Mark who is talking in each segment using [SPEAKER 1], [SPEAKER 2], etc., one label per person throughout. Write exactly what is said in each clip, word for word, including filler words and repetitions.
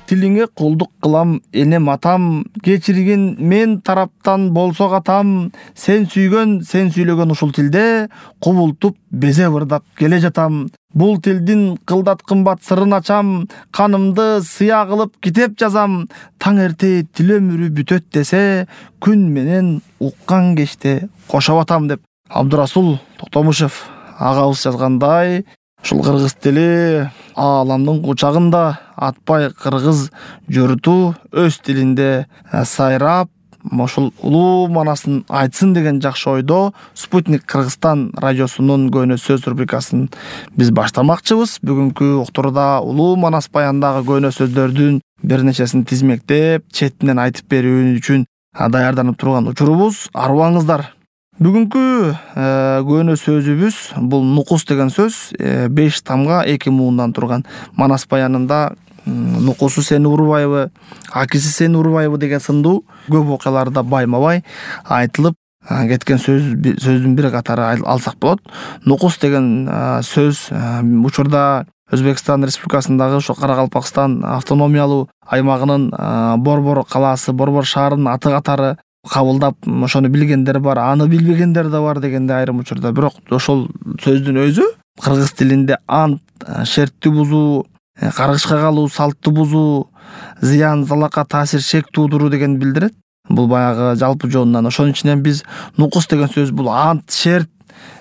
[SPEAKER 1] тилиңе кулдук кылам энем атам, кечиргин мен тараптан болсо катам, сен сүйгөн, сен сүйлөгөн ушул тилде кубултуп безе ырдап келе жатам. Бул тилдин кылдат кымбат сырын ачам, канымды сыя кылып китеп жазам. Таң эрте тил өмүрү бүтөт десе, күн менен уккан кечте кошоп атам деп Абдурасул Токтомушев агабыз жазгандай, ушул кыргыз тили ааламдын кучагында атпай кыргыз журту өз тилинде сайрап, ошол улуу манасын айтсын деген жакшы ойдо Спутник Кыргызстан радиосунун Көөнө сөз рубрикасын биз баштамакчыбыз. Бүгүнкү уктуруда улуу манас баяндагы көөнө сөздөрдүн бир нечесин тизмектеп, четинен айтып берүү үчүн даярданып турган учурубуз. Арыбаңыздар. Бүгүнкү көөнө сөзүбүз бул нукус деген сөз, беш тамга эки муундан турган. Манас баянында нукусу сени урбайбы, акиси сени урбайбы деген сындуу көп окуяларда байма-бай айтылып кеткен сөз сөздүн бир катары алсак болот. Нукус деген сөз учурда Өзбекстан Республикасындагы ошо Каракалпакстан автономиялуу аймагынын Борбор калаасы, Борбор шаарынын аты катары кабылдап, ошону билгендер бар, аны билбегендер да бар дегенде айрым учурда. Бирок ошол сөздүн өзү кыргыз тилинде ант, шерттү бузуу, каргышка калуу, салтты бузуу, зыян, залака, таасир, шек туудуруу деген билдирет. Бул баягы жалпы жонунан. Ошонун ичинен биз нукус деген сөз бул ант, шерт,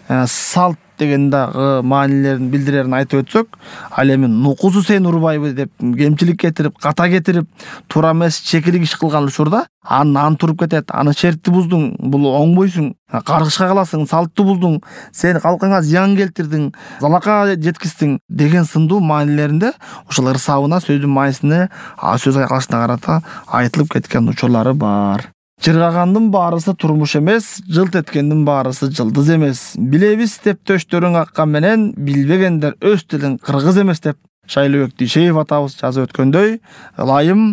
[SPEAKER 1] салт деген дагы маанилерин билдирерин айтып өтсөк, ал эми нукусу сени урбайбы деп кемчилик кетирип, ката кетирип, туура эмес чекилик иш кылган учурда анын анты уруп кетет, аны шертти буздуң, бул оңбойсуң, каргышка каласың, салтты буздуң, сен калкыңа зыян келтирдиң, залака жеткиздиң деген сындуу маанилеринде ушул ырсабына, сөздүн маанисине, сөз айкалышына карата айтылып кеткен учурлары бар. Чыргагандын баарысы турмуш эмес, жылт эткендин баарысы жылдыз эмес. Билебиз деп төштөрүң аккан менен, билбегендер өз тилин кыргыз эмес деп Шайлообек Дүйшеев атабыз жазып өткөндөй, ылайым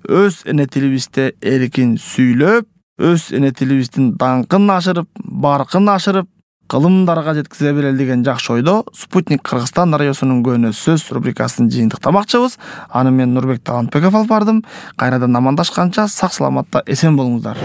[SPEAKER 1] өз эне тилибизде эркин сүйлөп, өз эне тилибиздин даңкын ашырып, баркын ашырып, кылымдарга жеткизе берели деген жакшы ойдо Спутник Кыргызстан радиосунун Көөнө сөз рубрикасын жыйынтыктамакчыбыз. Аны мен Нурбек Талантбеков алып бардым. Кайрадан амандашканча сак саламатта эсен болуңуздар.